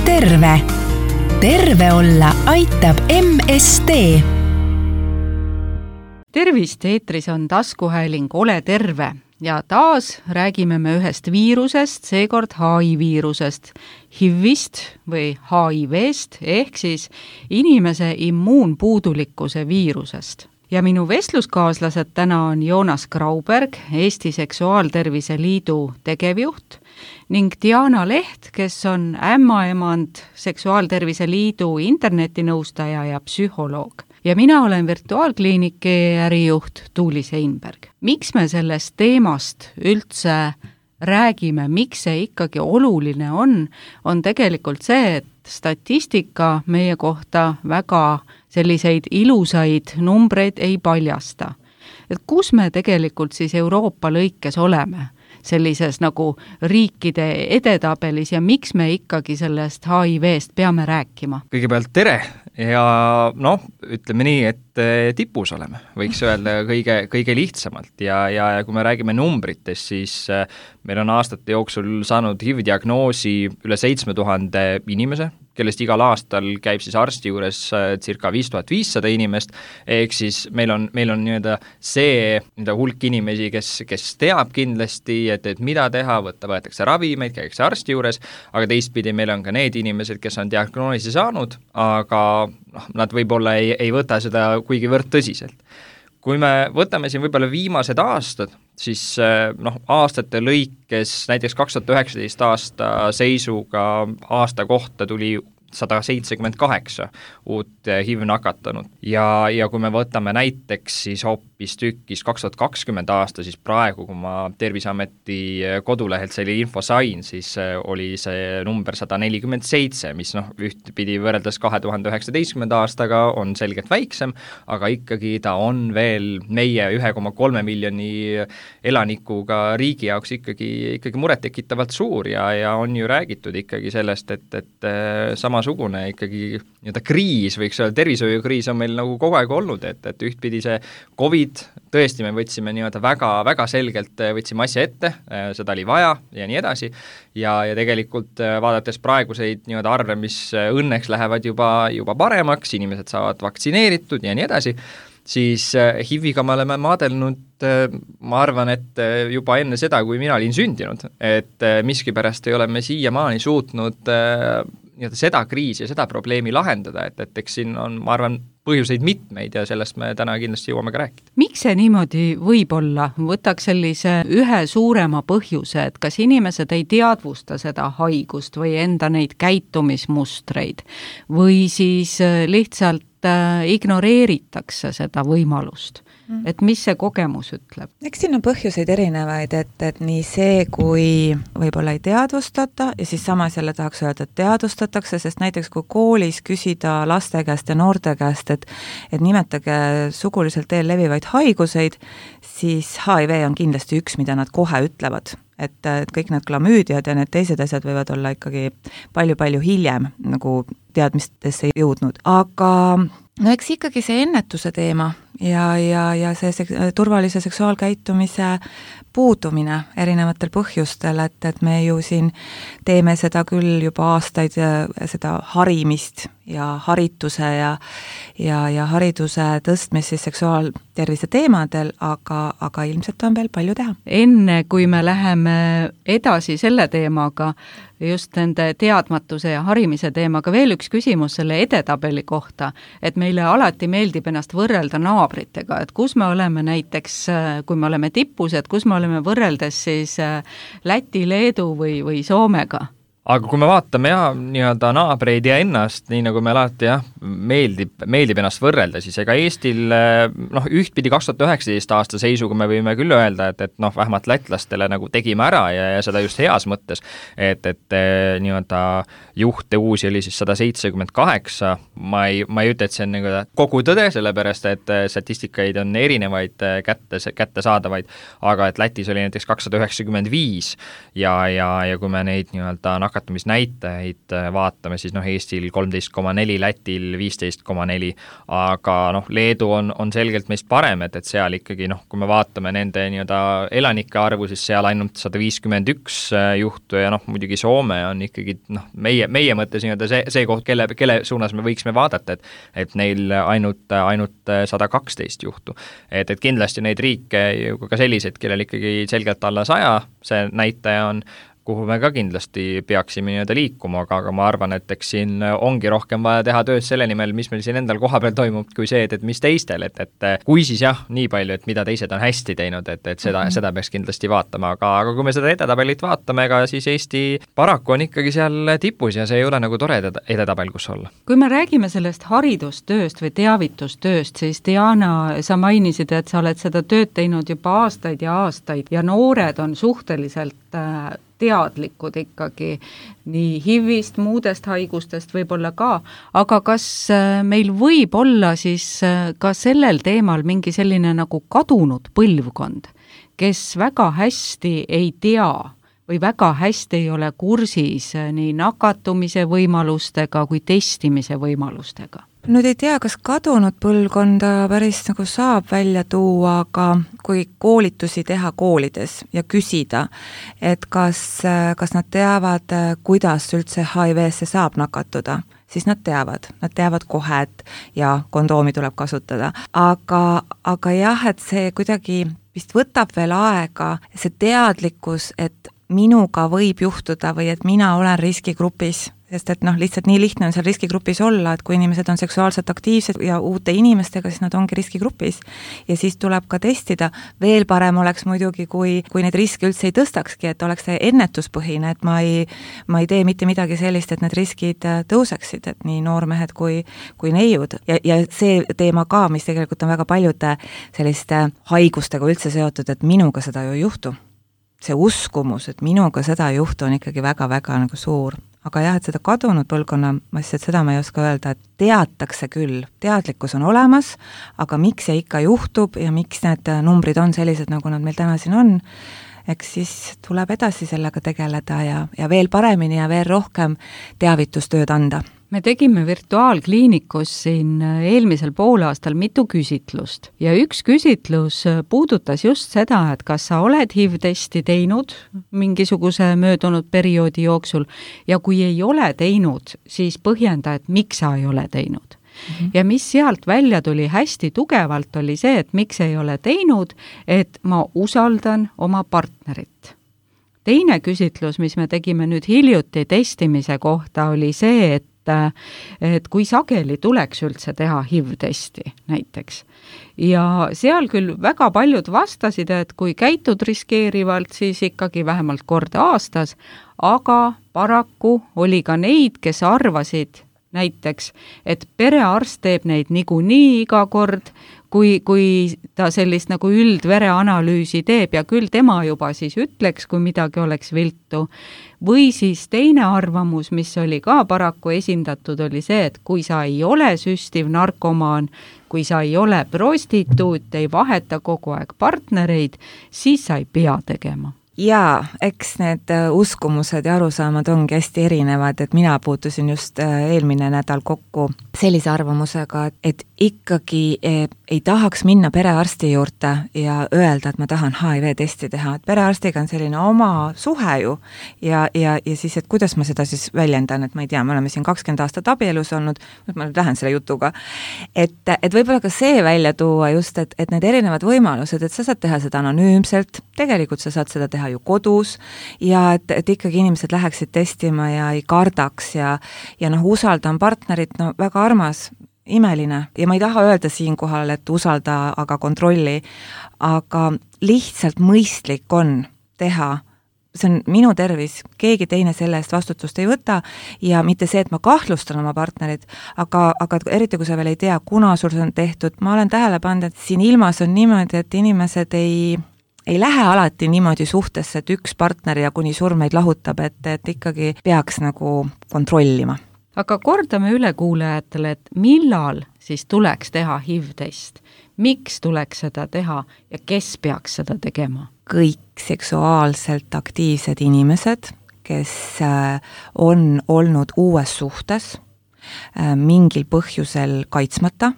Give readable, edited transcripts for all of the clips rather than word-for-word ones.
terve. Terve olla aitab MSD. Tervist, eetris on taskuhääling Ole terve ja taas räägime me ühest viirusest, seekord HIV-viirusest, HIVist või HIV-st ehk siis inimese immuunpuudulikkuse viirusest. Ja minu vestluskaaslased täna on Joonas Grauberg, Eesti Seksuaaltervise Liidu tegevjuht ning Diana Leht, kes on ämmaemand Seksuaaltervise Liidu internetinõustaja ja psühholoog. Ja mina olen virtuaalkliiniki ärijuht Tuuli Seinberg. Miks me sellest teemast üldse räägime, miks see ikkagi oluline on tegelikult see, et statistika meie kohta väga selliseid ilusaid numbreid ei paljasta. Et kus me tegelikult siis Euroopa lõikes oleme sellises nagu riikide edetabelis ja miks me ikkagi sellest HIV-st peame rääkima? Kõigepealt tere ja ütleme nii, et tipus oleme, võiks öelda kõige lihtsamalt ja kui me räägime numbritest, siis meil on aastate jooksul saanud HIV-diagnoosi üle 7000 inimese, kellest igal aastal käib siis arsti juures circa 5500 inimest, ehk siis meil on nii-öelda see hulk inimesi, kes teab kindlasti, et mida teha, võetakse ravimeid, käiakse arsti juures, aga teistpidi meil on ka need inimesed, kes on diagnoosi saanud, aga nad võib-olla ei võta seda kuigivõrd tõsiselt. Kui me võtame siin võib-olla viimased aastad, siis aastate lõikes näiteks 2019 aasta seisuga aasta kohta tuli 178 uut HIV nakatanut ja kui me võtame näiteks siis hoopis tükis 2020 aasta, siis praegu, kui ma Terviseameti kodulehelt selle info sain, siis oli see number 147, mis ühtpidi võrreldes 2019 aastaga on selgelt väiksem, aga ikkagi ta on veel meie 1,3 miljoni elanikuga riigi jaoks ikkagi murettekitavalt suur ja on ju räägitud ikkagi sellest, et samasugune ikkagi kriis, võiks öelda, tervishoiukriis on meil nagu kogu aeg olnud, et ühtpidi see COVID, tõesti me võtsime väga selgelt võtsime asja ette, seda oli vaja ja nii edasi ja tegelikult vaadates praeguseid arve, mis õnneks lähevad juba paremaks, inimesed saavad vaktsineeritud ja nii edasi, siis HIV-iga me oleme maadelnud, ma arvan, et juba enne seda, kui mina olin sündinud, et miskipärast ei ole me siiamaani suutnud seda kriisi ja seda probleemi lahendada, et eks siin on, ma arvan, põhjuseid mitmeid ja sellest me täna kindlasti jõuame ka rääkida. Miks see niimoodi võib olla? Võtaks sellise ühe suurema põhjuse, et kas inimesed ei teadvusta seda haigust või enda neid käitumismustreid või siis lihtsalt ignoreeritakse seda võimalust. Et mis see kogemus ütleb? Eks siin on põhjuseid erinevaid, et nii see, kui võib-olla ei teadvustata ja siis samas jälle tahaks öelda, et teadvustatakse, sest näiteks kui koolis küsida laste käest ja noorte käest, et nimetage suguliselt teel levivaid haiguseid, siis HIV on kindlasti üks, mida nad kohe ütlevad. Et kõik need klamüüdiad ja need teised asjad võivad olla ikkagi palju-palju hiljem nagu teadmistesse jõudnud. Aga eks ikkagi see ennetuse teema ja see turvalise seksuaalkäitumise puudumine erinevatel põhjustel, et me ju siin teeme seda küll juba aastaid, seda harimist ja harituse ja hariduse tõstmist siis seksuaaltervise teemadel, aga ilmselt on veel palju teha. Enne kui me läheme edasi selle teemaga, just nende teadmatuse ja harimise teemaga, veel üks küsimus selle edetabeli kohta, et meile alati meeldib ennast võrrelda naabritega, et kus me oleme näiteks, kui me oleme tipus, et kus me oleme võrreldes siis Läti, Leedu või Soomega. Aga kui me vaatame nii-öelda naabreid ja ennast, nii nagu me alati meeldib ennast võrrelda, siis ega Eestil ühtpidi 2019 aasta seisuga me võime küll öelda, et vähemalt lätlastele nagu tegime ära ja seda just heas mõttes, et nii-öelda juhte uusi oli siis 178, ma ei ütle, et see on nagu kogu tõde, sellepärast et statistikaid on erinevaid kätte saadavaid, aga et Lätis oli näiteks 295 ja kui me neid nii-öelda nakatumisnäitajaid vaatame, siis Eestil 13,4, Lätil 15,4, aga Leedu on selgelt meist parem, et seal ikkagi kui me vaatame nende nii-öelda elanike arvu, siis seal ainult 151 juhtu ja muidugi Soome on ikkagi meie mõttes nii-öelda see koht, kelle suunas me võiksime vaadata, et neil ainult 112 juhtu. Et kindlasti neid riike ka selliseid, kellel ikkagi selgelt alla 100, see näitaja on, kuhu me ka kindlasti peaksime nii-öelda liikuma, aga ma arvan, et eks siin ongi rohkem vaja teha tööd selle nimel, mis meil siin endal koha peal toimub, kui see, et mis teistel, et kui siis nii palju, et mida teised on hästi teinud, et seda peaks kindlasti vaatama, aga kui me seda edetabelit vaatame, ega siis Eesti paraku on ikkagi seal tipus ja see ei ole nagu tore edetabel, kus olla. Kui me räägime sellest haridustööst või teavitustööst, siis Diana, sa mainisid, et sa oled seda tööd teinud juba aastaid ja noored on suhteliselt teadlikud ikkagi nii HIVist, muudest haigustest võib-olla ka, aga kas meil võib olla siis ka sellel teemal mingi selline nagu kadunud põlvkond, kes väga hästi ei tea või väga hästi ei ole kursis nii nakatumise võimalustega kui testimise võimalustega? Nüüd ei tea, kas kadunud põlvkonda päris nagu saab välja tuua, aga kui koolitusi teha koolides ja küsida, et kas nad teavad, kuidas üldse HIV-sse saab nakatuda, siis nad teavad kohe, et ja kondoomi tuleb kasutada. Aga jah, et see kuidagi vist võtab veel aega, see teadlikkus, et minuga võib juhtuda või et mina olen riskigrupis, sest et lihtsalt nii lihtne on seal riskigrupis olla, et kui inimesed on seksuaalselt aktiivsed ja uute inimestega, siis nad ongi riskigrupis ja siis tuleb ka testida. Veel parem oleks muidugi, kui neid riske üldse ei tõstakski, et oleks see ennetuspõhine, et ma ei tee mitte midagi sellist, et need riskid tõuseksid, et nii noormehed kui neiud. Ja see teema ka, mis tegelikult on väga paljude selliste haigustega üldse seotud, et minuga seda ju ei juhtu. See uskumus, et minuga seda ei juhtu, on ikkagi väga-väga nagu suur. Aga jah, et seda kadunud põlvkonna, ma lihtsalt seda ma ei oska öelda, et teatakse küll, teadlikkus on olemas, aga miks see ikka juhtub ja miks need numbrid on sellised, nagu nad meil täna siin on, eks siis tuleb edasi sellega tegeleda ja veel paremini ja veel rohkem teavitustööd anda. Me tegime virtuaalkliinikus siin eelmisel poolaastal mitu küsitlust ja üks küsitlus puudutas just seda, et kas sa oled HIV-testi teinud mingisuguse möödunud perioodi jooksul ja kui ei ole teinud, siis põhjenda, et miks sa ei ole teinud. Ja mis sealt välja tuli hästi tugevalt oli see, et miks ei ole teinud, et ma usaldan oma partnerit. Teine küsitlus, mis me tegime nüüd hiljuti testimise kohta, oli see, et kui sageli tuleks üldse teha HIV-testi näiteks. Ja seal küll väga paljud vastasid, et kui käitud riskeerivalt, siis ikkagi vähemalt kord aastas, aga paraku oli ka neid, kes arvasid näiteks, et perearst teeb neid niikuinii iga kord, kui ta sellist nagu üldvereanalüüsi teeb ja küll tema juba siis ütleks, kui midagi oleks viltu. Või siis teine arvamus, mis oli ka paraku esindatud, oli see, et kui sa ei ole süstiv narkomaan, kui sa ei ole prostituut, ei vaheta kogu aeg partnereid, siis sa ei pea tegema. Jaa, eks need uskumused ja arusaamad ongi hästi erinevad, et mina puutusin just eelmine nädal kokku sellise arvamusega, et ikkagi ei tahaks minna perearsti juurde ja öelda, et ma tahan HIV-testi teha, et perearstiga on selline oma suhe ju ja siis, et kuidas ma seda siis väljendan, et ma ei tea, me oleme siin 20 aastat abielus olnud, ma nüüd lähen selle jutuga, et võib-olla ka see välja tuua just, et need erinevad võimalused, et sa saad teha seda anonüümselt, tegelikult sa saad seda teha ju kodus ja et ikkagi inimesed läheksid testima ja ei kardaks ja usaldan partnerit, väga armas, imeline ja ma ei taha öelda siinkohal, et usalda, aga kontrolli, aga lihtsalt mõistlik on teha, see on minu tervis, keegi teine selle eest vastutust ei võta ja mitte see, et ma kahtlustan oma partnerit, aga eriti kui sa veel ei tea, kuna sul see on tehtud, ma olen tähele pannud, et siin ilmas on niimoodi, et inimesed ei lähe alati niimoodi suhtesse, et üks partner ja kuni surmeid lahutab, et ikkagi peaks nagu kontrollima. Aga kordame üle kuulajatele, et millal siis tuleks teha HIV-test? Miks tuleks seda teha ja kes peaks seda tegema? Kõik seksuaalselt aktiivsed inimesed, kes on olnud uues suhtes mingil põhjusel kaitsmata,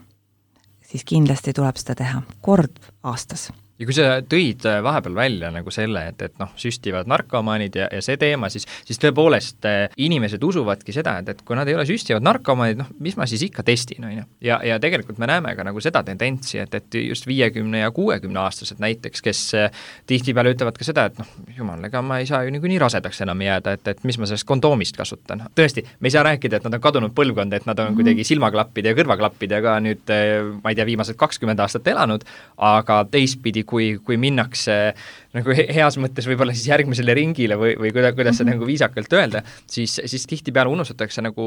siis kindlasti tuleb seda teha kord aastas. Ja kui sa tõid vahepeal välja nagu selle, et süstivad narkomaanid ja see teema, siis tõepoolest inimesed usuvadki seda, et kui nad ei ole süstivad narkomaanid, mis ma siis ikka testin, on ju. Ja tegelikult me näeme ka nagu seda tendentsi, et just 50 ja 60 aastased näiteks, kes tihtipeale ütlevad ka seda, et jumal, ega ma ei saa ju nii rasedaks enam jääda, et mis ma sellest kondoomist kasutan. Tõesti, me ei saa rääkida, et nad on kadunud põlvkond, et nad on kuidagi silmaklappide ja kõrvaklappidega nüüd, ma ei tea, viimased 20 aastat elanud, aga teistpidi, kui minnakse nagu heas mõttes võib-olla siis järgmisele ringile või kuidas seda nagu viisakalt öelda, siis tihtipeale unustatakse nagu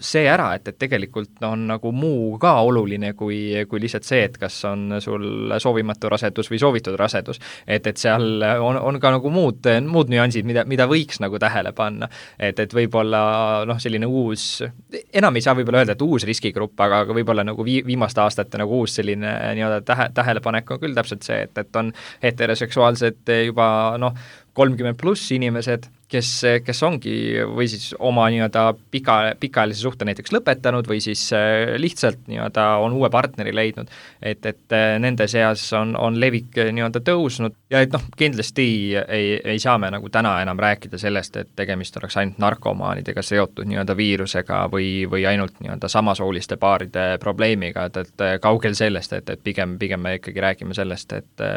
see ära, et tegelikult on nagu muu ka oluline kui lihtsalt see, et kas on sul soovimatu rasedus või soovitud rasedus. Et seal on ka nagu muud nüansid, mida võiks nagu tähele panna. Et võib-olla selline uus, enam ei saa võib-olla öelda, et uus riskigrupp, aga võib-olla nagu viimaste aastate nagu uus selline tähelepanek on küll täpselt see, et on heteroseksuaalsed juba 30 pluss inimesed, kes ongi või siis oma pikaajalise suhte näiteks lõpetanud või siis lihtsalt on uue partneri leidnud, et nende seas on levik tõusnud ja et kindlasti ei saa me nagu täna enam rääkida sellest, et tegemist oleks ainult narkomaanidega seotud viirusega või ainult samasooliste paaride probleemiga, et kaugel sellest, et pigem me ikkagi räägime sellest, et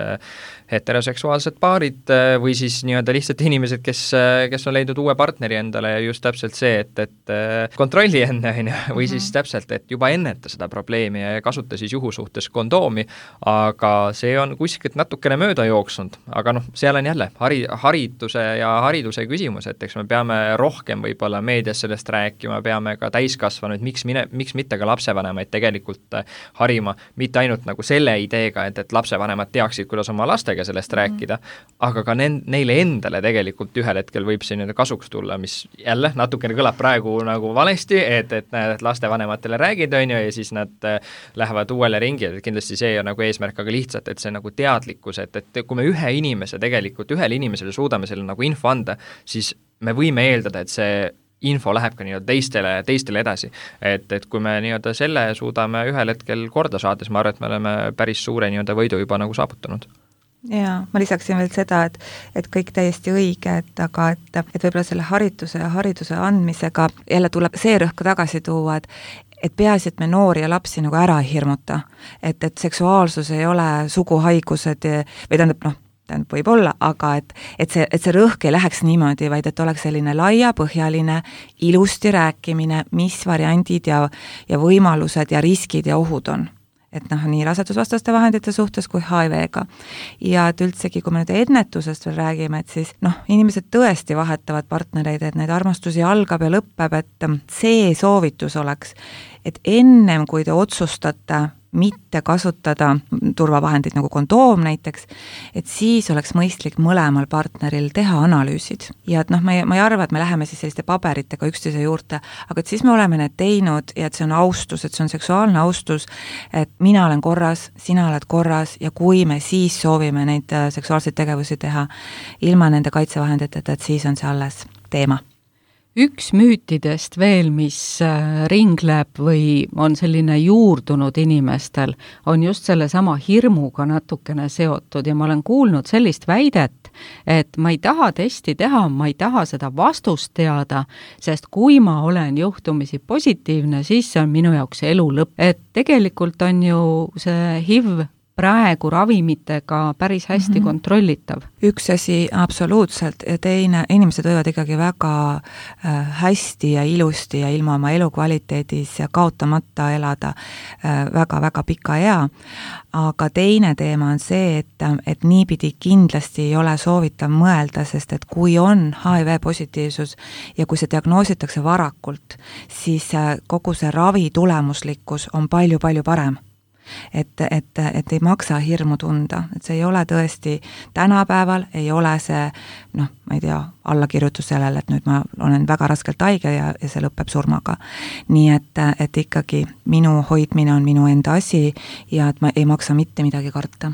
heteroseksuaalsed paarid või siis lihtsalt inimesed, kes on leidnud uue partneri endale ja just täpselt see, et kontrolli enne või siis täpselt, et juba enneta seda probleemi ja kasuta siis juhusuhtes kondoomi, aga see on kuskilt natukene mööda jooksnud, aga seal on jälle hariduse küsimus, et eks me peame rohkem võib-olla meedias sellest rääkima, peame ka täiskasvanud, miks mitte ka lapsevanemaid tegelikult harima, mitte ainult nagu selle ideega, et lapsevanemad teaksid, kuidas oma lastega sellest rääkida, aga ka neile endale tegelikult ühel hetkel võib see kasuks tulla, mis jälle natukene kõlab praegu nagu valesti, et lastevanematele räägid, on ju, ja siis nad lähevad uuele ringi, et kindlasti see on nagu eesmärk, aga lihtsalt, et see nagu teadlikkus, et kui me ühele inimesele suudame selle nagu info anda, siis me võime eeldada, et see info läheb ka teistele edasi. Et kui me selle suudame ühel hetkel korda saada, siis ma arvan, et me oleme päris suure võidu juba nagu saavutanud. Ja ma lisaksin veel seda, et kõik täiesti õige, aga et võib-olla selle hariduse andmisega jälle tuleb see rõhku tagasi tuua, et peaasi, et me noori ja lapsi nagu ära ei hirmuta, et seksuaalsus ei ole suguhaigused või tähendab võib-olla, aga et see rõhk ei läheks niimoodi, vaid et oleks selline laiapõhjaline, ilusti rääkimine, mis variandid ja võimalused ja riskid ja ohud on. Et nii rasedusvastaste vahendite suhtes kui HIV-ga. Ja et üldsegi, kui me nüüd ennetusest veel räägime, et siis inimesed tõesti vahetavad partnereid, et neid armastusi algab ja lõpeb, et see soovitus oleks, et ennem kui te otsustate mitte kasutada turvavahendid nagu kondoom näiteks, et siis oleks mõistlik mõlemal partneril teha analüüsid. Ja et ma ei arva, et me läheme siis selliste paberitega üksteise juurde, aga et siis me oleme need teinud ja et see on austus, et see on seksuaalne austus, et mina olen korras, sina oled korras ja kui me siis soovime neid seksuaalseid tegevusi teha ilma nende kaitsevahenditeta, et siis on see alles teema. Üks müütidest veel, mis ringleb või on selline juurdunud inimestel, on just selle sama hirmuga natukene seotud ja ma olen kuulnud sellist väidet, et ma ei taha testi teha, ma ei taha seda vastust teada, sest kui ma olen juhtumisi positiivne, siis see on minu jaoks elu lõpp. Et tegelikult on ju see HIV praegu ravimitega päris hästi kontrollitav. Üks asi absoluutselt ja teine, inimesed võivad ikkagi väga hästi ja ilusti ja ilma oma elukvaliteedis ja kaotamata elada väga-väga pika ea. Aga teine teema on see, et niipidi kindlasti ei ole soovitav mõelda, sest et kui on HIV positiivsus ja kui see diagnoositakse varakult, siis kogu see ravi tulemuslikkus on palju-palju parem. Et ei maksa hirmu tunda, et see ei ole tõesti tänapäeval, ei ole see, ma ei tea, allakirjutus sellele, et nüüd ma olen väga raskelt haige ja see lõpeb surmaga. Nii et ikkagi minu hoidmine on minu enda asi ja et ma ei maksa mitte midagi karta.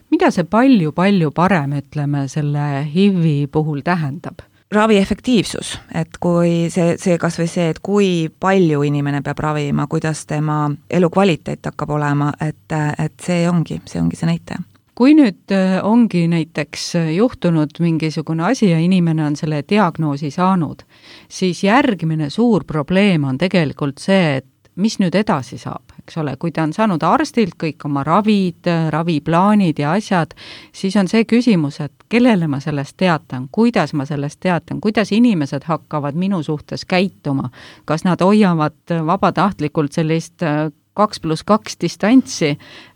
Mida see palju parem, ütleme, selle HIV-i puhul tähendab? ravi efektiivsus, et kui see kas või see, et kui palju inimene peab ravima, kuidas tema elukvaliteet hakkab olema, et see ongi see näitaja. Kui nüüd ongi näiteks juhtunud mingisugune asi ja inimene on selle diagnoosi saanud, siis järgmine suur probleem on tegelikult see, et mis nüüd edasi saab, eks ole, kui ta on saanud arstilt kõik oma ravid, raviplaanid ja asjad, siis on see küsimus, et kellele ma sellest teatan, kuidas ma sellest teatan, kuidas inimesed hakkavad minu suhtes käituma, kas nad hoiavad vabatahtlikult sellist 2+2 distantsi,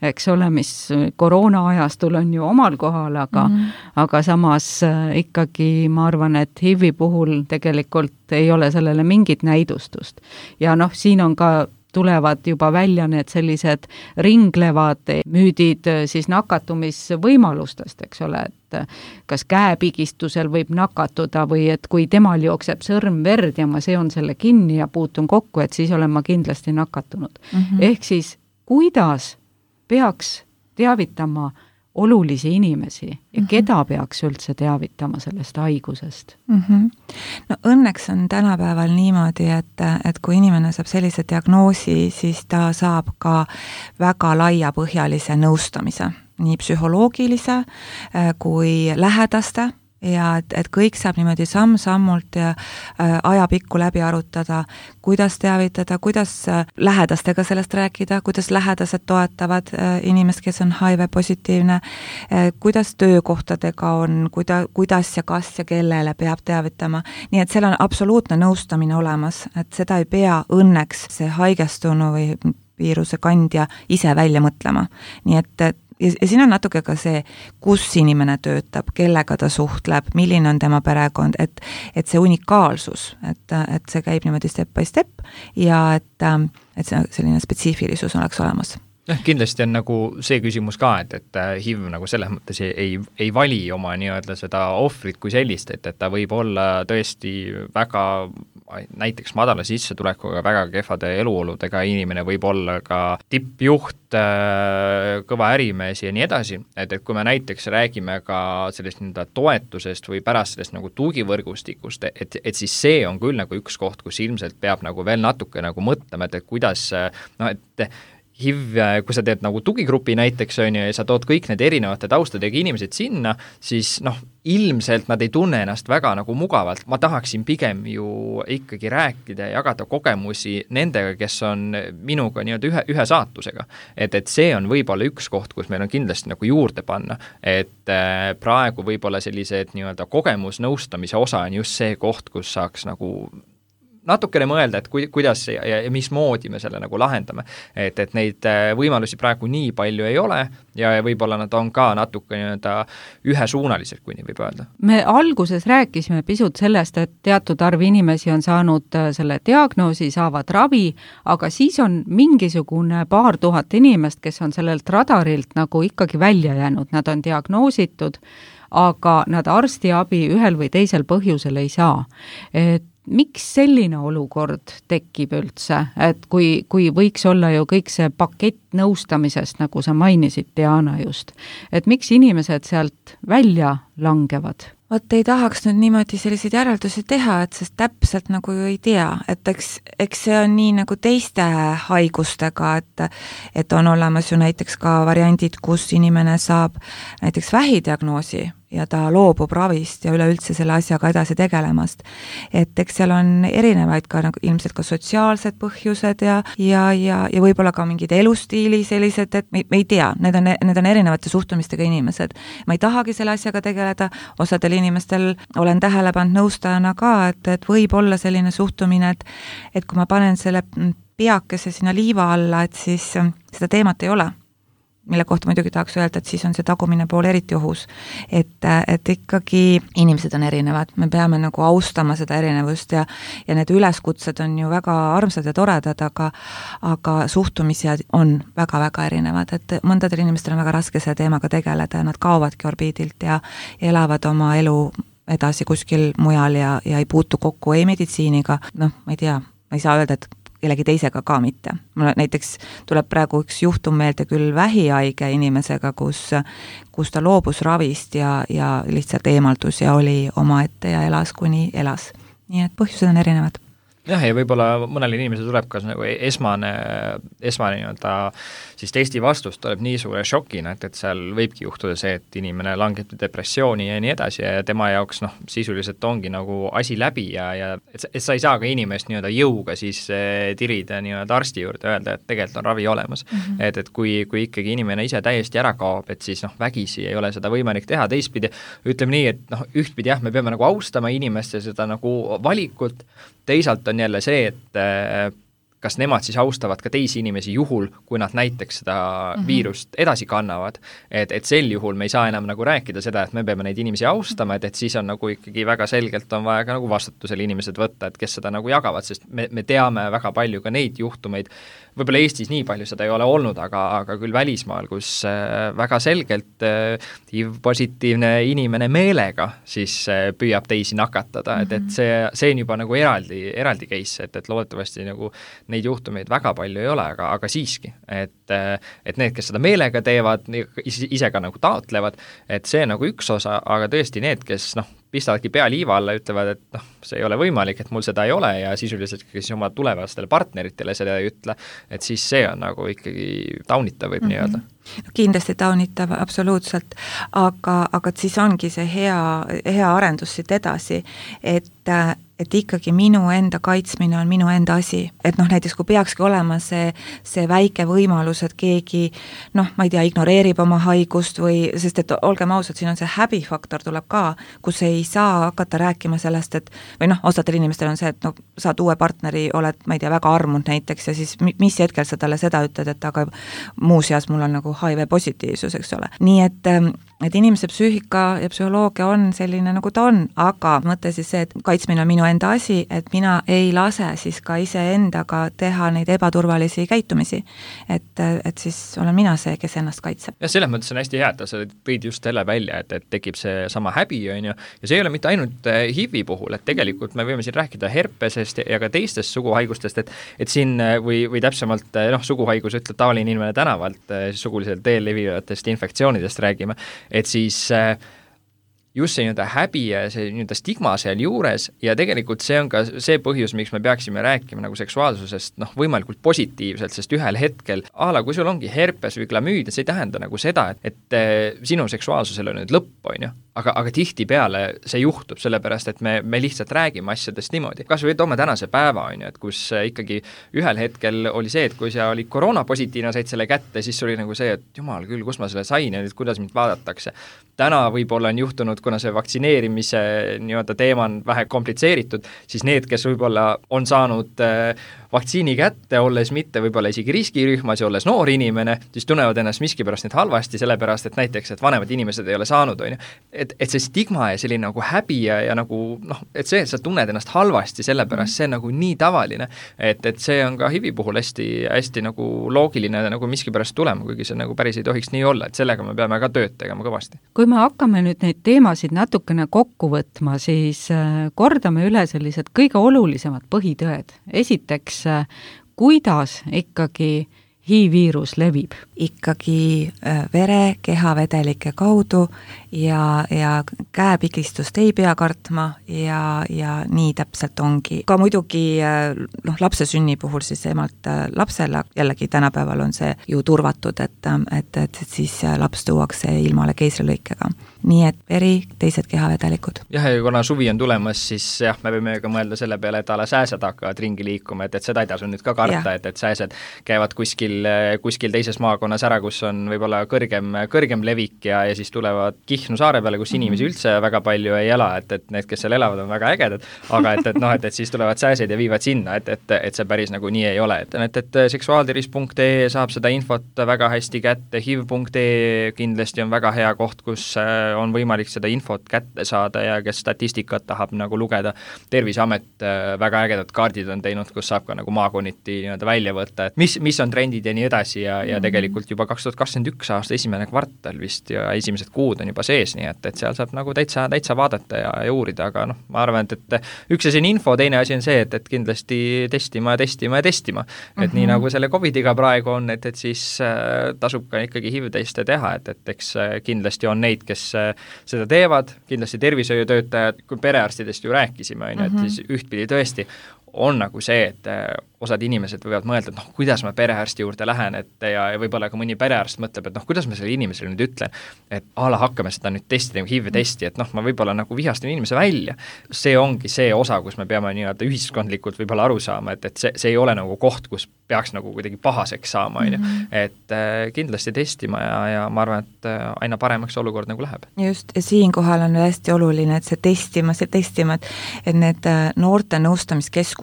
eks ole, mis koroona ajastul on ju omal kohal, aga samas ikkagi ma arvan, et HIV-i puhul tegelikult ei ole sellele mingit näidustust. Ja siin on ka tulevad juba välja need sellised ringlevad müüdid siis nakatumisvõimalustest, eks ole, et kas käepigistusel võib nakatuda või et kui temal jookseb sõrm verd ja ma seon selle kinni ja puutun kokku, et siis olen ma kindlasti nakatunud. Ehk siis, kuidas peaks teavitama olulisi inimesi ja keda peaks üldse teavitama sellest haigusest? No õnneks on tänapäeval niimoodi, et kui inimene saab sellise diagnoosi, siis ta saab ka väga laiapõhjalise nõustamise, nii psühholoogilise kui lähedaste, ja et kõik saab niimoodi samm-sammult ja ajapikku läbi arutada, kuidas teavitada, kuidas lähedastega sellest rääkida, kuidas lähedased toetavad inimest, kes on HIV-positiivne, kuidas töökohtadega on, kuidas ja kas ja kellele peab teavitama. Nii et seal on absoluutne nõustamine olemas, et seda ei pea õnneks see haigestunu või viiruse kandja ise välja mõtlema. Nii et ja siin on natuke ka see, kus inimene töötab, kellega ta suhtleb, milline on tema perekond, et see unikaalsus, et see käib niimoodi step by step ja et see selline spetsiifilisus oleks olemas. Kindlasti on nagu see küsimus ka, et HIV nagu selles mõttes ei vali oma nii-öelda seda ohvrit kui sellist, et ta võib olla tõesti väga näiteks madala sissetulekuga, väga kehvade eluoludega inimene, võib olla ka tippjuht, kõva ärimees ja nii edasi, et kui me näiteks räägime ka sellest toetusest või pärast sellest nagu tugivõrgustikust, et siis see on küll nagu üks koht, kus ilmselt peab nagu veel natuke nagu mõtlema, et kuidas, et HIV, kui sa teed nagu tugigrupi näiteks, on ju, ja sa tood kõik need erinevate taustadega inimesed sinna, siis ilmselt nad ei tunne ennast väga nagu mugavalt. Ma tahaksin pigem ju ikkagi rääkida ja jagada kogemusi nendega, kes on minuga nii-öelda ühe saatusega. Et see on võib-olla üks koht, kus meil on kindlasti nagu juurde panna. Et praegu võib-olla sellised nii-öelda kogemusnõustamise osa on just see koht, kus saaks nagu natukene mõelda, et kuidas ja mismoodi me selle nagu lahendame. Et neid võimalusi praegu nii palju ei ole ja võib-olla nad on ka natuke nii-öelda ühesuunalised, kui nii võib öelda. Me alguses rääkisime pisut sellest, et teatud arv inimesi on saanud selle diagnoosi, saavad ravi, aga siis on mingisugune 2000 inimest, kes on sellelt radarilt nagu ikkagi välja jäänud, nad on diagnoositud, aga nad arstiabi ühel või teisel põhjusel ei saa. Et miks selline olukord tekib üldse, et kui võiks olla ju kõik see pakett nõustamisest, nagu sa mainisid, Diana just, et miks inimesed sealt välja langevad? Vot ei tahaks nüüd niimoodi selliseid järeldusi teha, et sest täpselt nagu ju ei tea, et eks see on nii nagu teiste haigustega, et on olemas ju näiteks ka variandid, kus inimene saab näiteks vähidiagnoosi ja ta loobub ravist ja üleüldse selle asjaga edasi tegelemast. Et eks seal on erinevaid ka nagu ilmselt ka sotsiaalsed põhjused ja võib-olla ka mingid elustiili sellised, et me ei tea, need on erinevate suhtumistega inimesed. Ma ei tahagi selle asjaga tegeleda, osadel inimestel olen tähele pannud nõustajana ka, et võib olla selline suhtumine, et kui ma panen selle peakese sinna liiva alla, et siis seda teemat ei ole. Mille kohta muidugi tahaks öelda, et siis on see tagumine pool eriti ohus. Et ikkagi inimesed on erinevad, me peame nagu austama seda erinevust ja need üleskutsed on ju väga armsad ja toredad, aga suhtumised on väga-väga erinevad, et mõndadel inimestel on väga raske selle teemaga tegeleda ja nad kaovadki orbiidilt ja elavad oma elu edasi kuskil mujal ja ei puutu kokku ei meditsiiniga, ma ei tea, ma ei saa öelda, et kellegi teisega ka mitte. Mul näiteks tuleb praegu üks juhtum meelde küll vähihaige inimesega, kus ta loobus ravist ja lihtsalt eemaldus ja oli omaette ja elas kuni elas. Nii et põhjused on erinevad. Jah, ja võib-olla mõnele inimesele tuleb ka nagu esmane nii-öelda siis testi vastus tuleb nii suure šokina, et seal võibki juhtuda see, et inimene langeb depressiooni ja nii edasi ja tema jaoks sisuliselt ongi nagu asi läbi ja et sa ei saa ka inimest nii-öelda jõuga siis tirida nii-öelda arsti juurde ja öelda, et tegelikult on ravi olemas. Et kui ikkagi inimene ise täiesti ära kaob, et siis vägisi ei ole seda võimalik teha, teistpidi ütleme nii, et ühtpidi jah, me peame nagu austama inimest ja seda nagu valikut, teisalt on jälle see, et kas nemad siis austavad ka teisi inimesi juhul, kui nad näiteks seda viirust edasi kannavad, et sel juhul me ei saa enam nagu rääkida seda, et me peame neid inimesi austama, et siis on nagu ikkagi väga selgelt on vaja ka nagu vastutusel inimesed võtta, et kes seda nagu jagavad, sest me teame väga palju ka neid juhtumeid, võib-olla Eestis nii palju seda ei ole olnud, aga küll välismaal, kus väga selgelt HIV-positiivne inimene meelega siis püüab teisi nakatada, et see on juba nagu eraldi case, et loodetavasti nagu neid juhtumeid väga palju ei ole, aga siiski, et need, kes seda meelega teevad, ise ka nagu taotlevad, et see nagu üks osa, aga tõesti need, kes pistavadki pea liiva alla, ütlevad, et see ei ole võimalik, et mul seda ei ole ja sisuliselt siis oma tulevastele partneritele seda ei ütle, et siis see on nagu ikkagi taunitav võib nii öelda. Kindlasti taunitav, absoluutselt, aga siis ongi see hea arendus siit edasi, et ikkagi minu enda kaitsmine on minu enda asi. Et näiteks kui peakski olema see väike võimalus, et keegi, ma ei tea, ignoreerib oma haigust või, sest et olgem ausad, siin on see häbifaktor tuleb ka, kus ei saa hakata rääkima sellest, et või osadel inimestel on see, et saad uue partneri, oled, ma ei tea, väga armunud näiteks ja siis mis hetkel sa talle seda ütled, et aga muuseas mul on nagu HIV positiivsus, eks ole. Nii et inimese psüühika ja psühholoogia on selline, nagu ta on, aga mõte siis see, et kaitsmine on minu enda asi, et mina ei lase siis ka iseendaga teha neid ebaturvalisi käitumisi. Et siis olen mina see, kes ennast kaitseb. Ja selles mõttes on hästi hea, et sa tõid just selle välja, et tekib see sama häbi, on ju, ja see ei ole mitte ainult HIV-i puhul, et tegelikult me võime siin rääkida herpesest ja ka teistest suguhaigustest, et siin või täpsemalt suguhaigus ütleb tavaline inimene tänavalt, suguliselt teel levivatest infektsioonidest räägime, et siis just see nii-öelda häbi ja see nii-öelda stigma seal juures ja tegelikult see on ka see põhjus, miks me peaksime rääkima nagu seksuaalsusest võimalikult positiivselt, sest ühel hetkel, kui sul ongi herpes või glamüüd, see ei tähenda nagu seda, et sinu seksuaalsusel on nüüd lõpp, on ju, aga tihtipeale see juhtub, sellepärast et me lihtsalt räägime asjadest niimoodi. Kas või toome tänase päeva, on ju, et kus ikkagi ühel hetkel oli see, et kui sa olid koroonapositiivne, said selle kätte, siis oli nagu see, et jumal küll, kus ma selle sain ja nüüd kuidas mind vaadatakse. Täna võib-olla on juhtunud, kuna see vaktsineerimise nii-öelda teema on vähe komplitseeritud, siis need, kes võib-olla on saanud vaktsiini kätte, olles mitte võib-olla isegi riskirühmas ja olles noor inimene, siis tunnevad ennast miskipärast nüüd halvasti, sellepärast et näiteks, et vanemad inimesed ei ole saanud, on ju. Et see stigma ja selline nagu häbi ja nagu, et see, et sa tunned ennast halvasti, sellepärast see on nagu nii tavaline, et see on ka HIV-i puhul hästi nagu loogiline nagu miskipärast tulema, kuigi see nagu päris ei tohiks nii olla, et sellega me peame ka tööd tegema kõvasti. Kui me hakkame nüüd neid teemasid natukene kokku võtma, siis kordame üle sellised kõige olulisemad põhitõed. Esiteks, kuidas ikkagi HIV-viirus levib? Ikkagi vere, kehavedelike kaudu ja käepikistust ei pea kartma ja nii täpselt ongi. Ka muidugi lapse sünni puhul siis emalt lapsele, jällegi tänapäeval on see ju turvatud, et siis laps tuuakse ilmale keisrilõikega. Nii et veri, teised kehavedelikud. Jah, ja kuna suvi on tulemas, siis jah, me võime ka mõelda selle peale, et sääsed hakkavad ringi liikuma, et seda ei tasu nüüd ka karta, et sääsed käivad kuskil teises maakonnas ära, kus on võib-olla kõrgem levik ja siis tulevad Kihnu saare peale, kus inimesi üldse väga palju ei ela, et need, kes seal elavad, on väga ägedad, aga et siis tulevad sääsed ja viivad sinna, et see päris nagu nii ei ole. Et seksuaaltervis.ee saab seda infot väga hästi kätte, HIV.ee kindlasti on väga hea koht, kus on võimalik seda infot kätte saada ja kes statistikat tahab nagu lugeda. Terviseamet väga ägedad kaardid on teinud, kus saab ka nagu maakonniti nii-öelda välja võtta, et mis on trendid testid ja nii edasi ja tegelikult juba 2021 aasta esimene kvartal vist ja esimesed kuud on juba sees, nii et seal saab nagu täitsa vaadata ja uurida, aga noh, ma arvan, et üks asi on info, teine asi on see, et kindlasti testima. Et nii nagu selle COVID-iga praegu on, et siis tasub ka ikkagi HIV-teste teha, et eks kindlasti on neid, kes seda teevad, kindlasti tervishoiutöötajad, kui perearstidest ju rääkisime, et siis ühtpidi tõesti on nagu see, et osad inimesed võivad mõelda, et kuidas ma perearsti juurde lähen, ja võib-olla ka mõni perearst mõtleb, et kuidas ma selle inimesele nüüd ütlen, et hakkame seda nüüd testida, HIV-testi, et ma võib-olla nagu vihastan inimese välja. See ongi see osa, kus me peame nii-öelda ühiskondlikult võib-olla aru saama, et see ei ole nagu koht, kus peaks nagu kuidagi pahaseks saama, et kindlasti testima ja ma arvan, et aina paremaks olukord nagu läheb. Just, ja siinkohal on hästi oluline, et see testima, et need noorte nõustamiskeskused,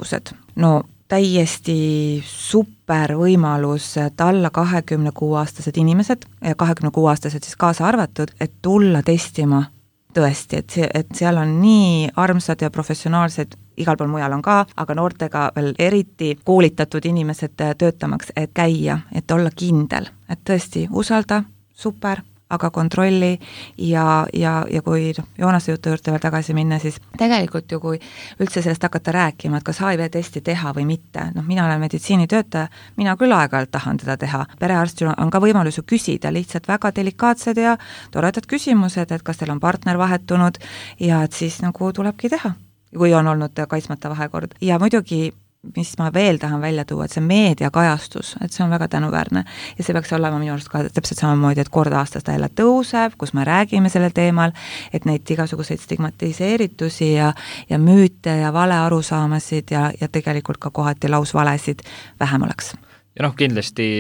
täiesti super võimalus, et alla 26-aastased inimesed ja 26-aastased siis kaasa arvatud, et tulla testima tõesti, et seal on nii armsad ja professionaalsed, igal pool mujal on ka, aga noortega veel eriti koolitatud inimesed töötamaks, et käia, et olla kindel, et tõesti usalda, super, aga kontrolli ja kui Joonase jutu juurde veel tagasi minna, siis tegelikult ju kui üldse sellest hakata rääkima, et kas HIV-testi teha või mitte, mina olen meditsiinitöötaja, mina küll aeg-ajalt tahan teda teha. Perearstil on ka võimalus ju küsida lihtsalt väga delikaatsed ja toredad küsimused, et kas teil on partner vahetunud ja et siis nagu tulebki teha, kui on olnud kaitsmata vahekord. Ja muidugi mis ma veel tahan välja tuua, et see meediakajastus, et see on väga tänuväärne ja see peaks olema minu arust ka täpselt samamoodi, et kord aastas ta jälle tõuseb, kus me räägime sellel teemal, et neid igasuguseid stigmatiseeritusi ja müüte ja valearusaamasid ja tegelikult ka kohati lausvalesid vähem oleks. Ja kindlasti,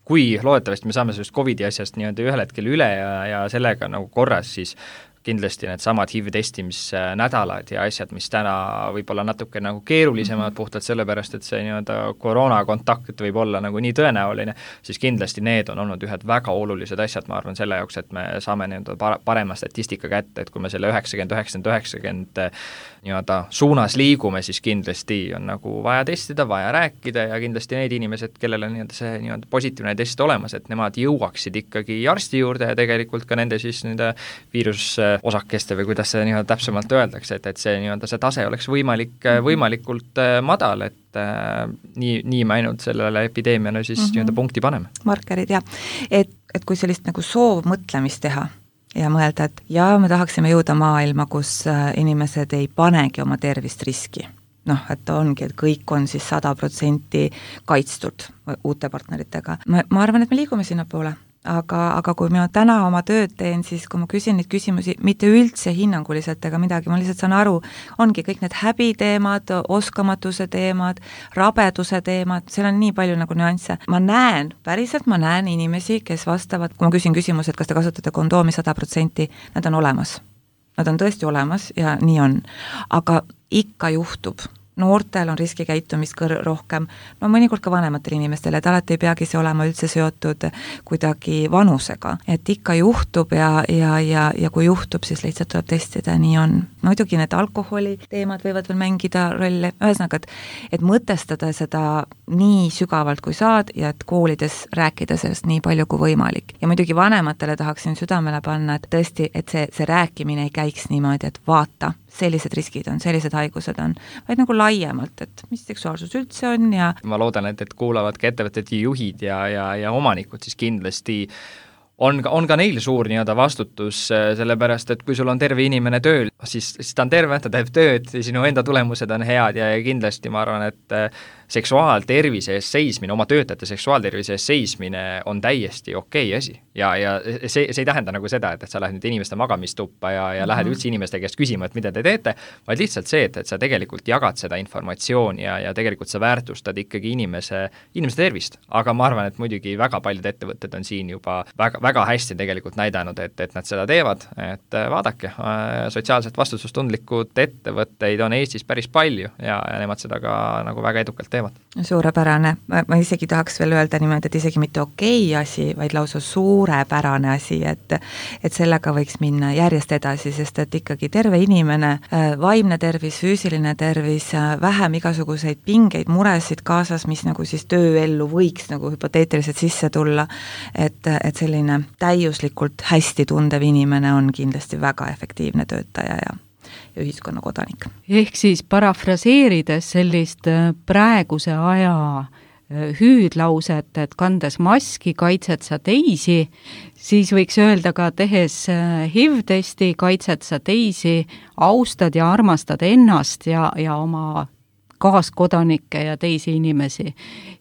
kui loodetavasti me saame sellest COVID-i asjast nii-öelda ühel hetkel üle ja sellega nagu korras, siis kindlasti need samad HIV-testimisnädalad ja asjad, mis täna võib-olla natuke nagu keerulisemad puhtalt sellepärast, et see nii-öelda koroonakontakt võib olla nagu nii tõenäoline, siis kindlasti need on olnud ühed väga olulised asjad, ma arvan, selle jaoks, et me saame nii-öelda parema statistika kätte, et kui me selle 90 nii-öelda suunas liigume, siis kindlasti on nagu vaja testida, vaja rääkida ja kindlasti need inimesed, kellel on nii-öelda see nii-öelda positiivne test olemas, et nemad jõuaksid ikkagi arsti juurde ja tegelikult ka nende siis nende viirusosakeste või kuidas see nii-öelda täpsemalt öeldakse, et see nii-öelda see tase oleks võimalikult madal, et nii me ainult sellele epideemiale siis nii-öelda punkti paneme. Markerid, jah. Et kui sellist nagu soov mõtlemist teha ja mõelda, et me tahaksime jõuda maailma, kus inimesed ei panegi oma tervist riski. Et ongi, et kõik on siis 100% kaitstud uute partneritega. Ma arvan, et me liigume sinna poole. Aga kui ma täna oma tööd teen, siis kui ma küsin neid küsimusi, mitte üldse hinnanguliselt ega midagi, ma lihtsalt saan aru, ongi kõik need häbiteemad, oskamatuse teemad, rabeduse teemad, seal on nii palju nagu nüansse. Ma näen inimesi, kes vastavad, kui ma küsin küsimused, kas te kasutate kondoomi 100%, nad on olemas. Nad on tõesti olemas ja nii on. Aga ikka juhtub. Noortel on riskikäitumist rohkem, mõnikord ka vanematel inimestel, et alati ei peagi see olema üldse seotud kuidagi vanusega, et ikka juhtub ja kui juhtub, siis lihtsalt tuleb testida, nii on. Muidugi need alkoholi teemad võivad veel mängida rolli, ühesõnaga, et mõtestada seda nii sügavalt kui saad ja et koolides rääkida sellest nii palju kui võimalik. Ja muidugi vanematele tahaksin südamele panna, et tõesti, et see rääkimine ei käiks niimoodi, et vaata, sellised riskid on, sellised haigused on, vaid nagu laiemalt, et mis seksuaalsus üldse on ja ma loodan, et kuulavad ka ettevõtete juhid ja omanikud, siis kindlasti on ka neil suur nii-öelda vastutus, sellepärast, et kui sul on terve inimene tööl, siis ta on terve, ta teeb tööd, sinu enda tulemused on head ja kindlasti ma arvan, et seksuaaltervise eest seismine, oma töötajate seksuaaltervise eest seismine on täiesti okei asi. Ja see ei tähenda nagu seda, et sa lähed nüüd inimeste magamistuppa ja lähed üldse inimeste käest küsima, et mida te teete, vaid lihtsalt see, et sa tegelikult jagad seda informatsiooni ja tegelikult sa väärtustad ikkagi inimese tervist. Aga ma arvan, et muidugi väga paljud ettevõtted on siin juba väga, väga hästi tegelikult näidanud, et nad seda teevad, et vaadake, sotsiaalselt vastutustundlikud ettevõtteid on Eestis päris palju ja nemad seda ka nagu väga edukalt teevad. Suurepärane, ma isegi tahaks veel öelda niimoodi, et isegi mitte okei asi, vaid lausa suurepärane asi, et sellega võiks minna järjest edasi, sest et ikkagi terve inimene, vaimne tervis, füüsiline tervis, vähem igasuguseid pingeid, muresid kaasas, mis nagu siis tööellu võiks nagu hüpoteetiliselt sisse tulla, et selline täiuslikult hästi tundev inimene on kindlasti väga efektiivne töötaja ja ühiskonna kodanik. Ehk siis parafraseerides sellist praeguse aja hüüdlauset, et kandes maski kaitsed sa teisi, siis võiks öelda ka tehes HIV-testi kaitsed sa teisi, austad ja armastad ennast ja oma kaaskodanikke ja teisi inimesi.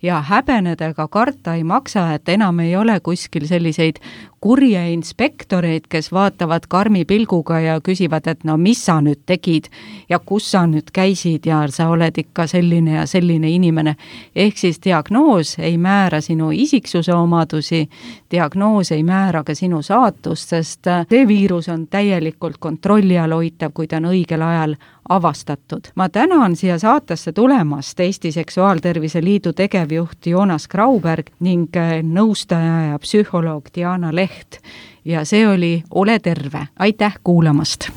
Ja häbenedega karta ei maksa, et enam ei ole kuskil selliseid kurje inspektoreid, kes vaatavad karmi pilguga ja küsivad, et no mis sa nüüd tegid ja kus sa nüüd käisid ja sa oled ikka selline ja selline inimene. Ehk siis diagnoos ei määra sinu isiksuse omadusi, diagnoos ei määra ka sinu saatust, sest see viirus on täielikult kontrolli all hoitav, kui ta on õigel ajal avastatud. Ma tänan siia saatesse tulemast Eesti Seksuaaltervise Liidu tegevjuht Joonas Grauberg ning nõustaja ja psühholoog Diana Leht. Ja see oli Ole terve. Aitäh kuulamast!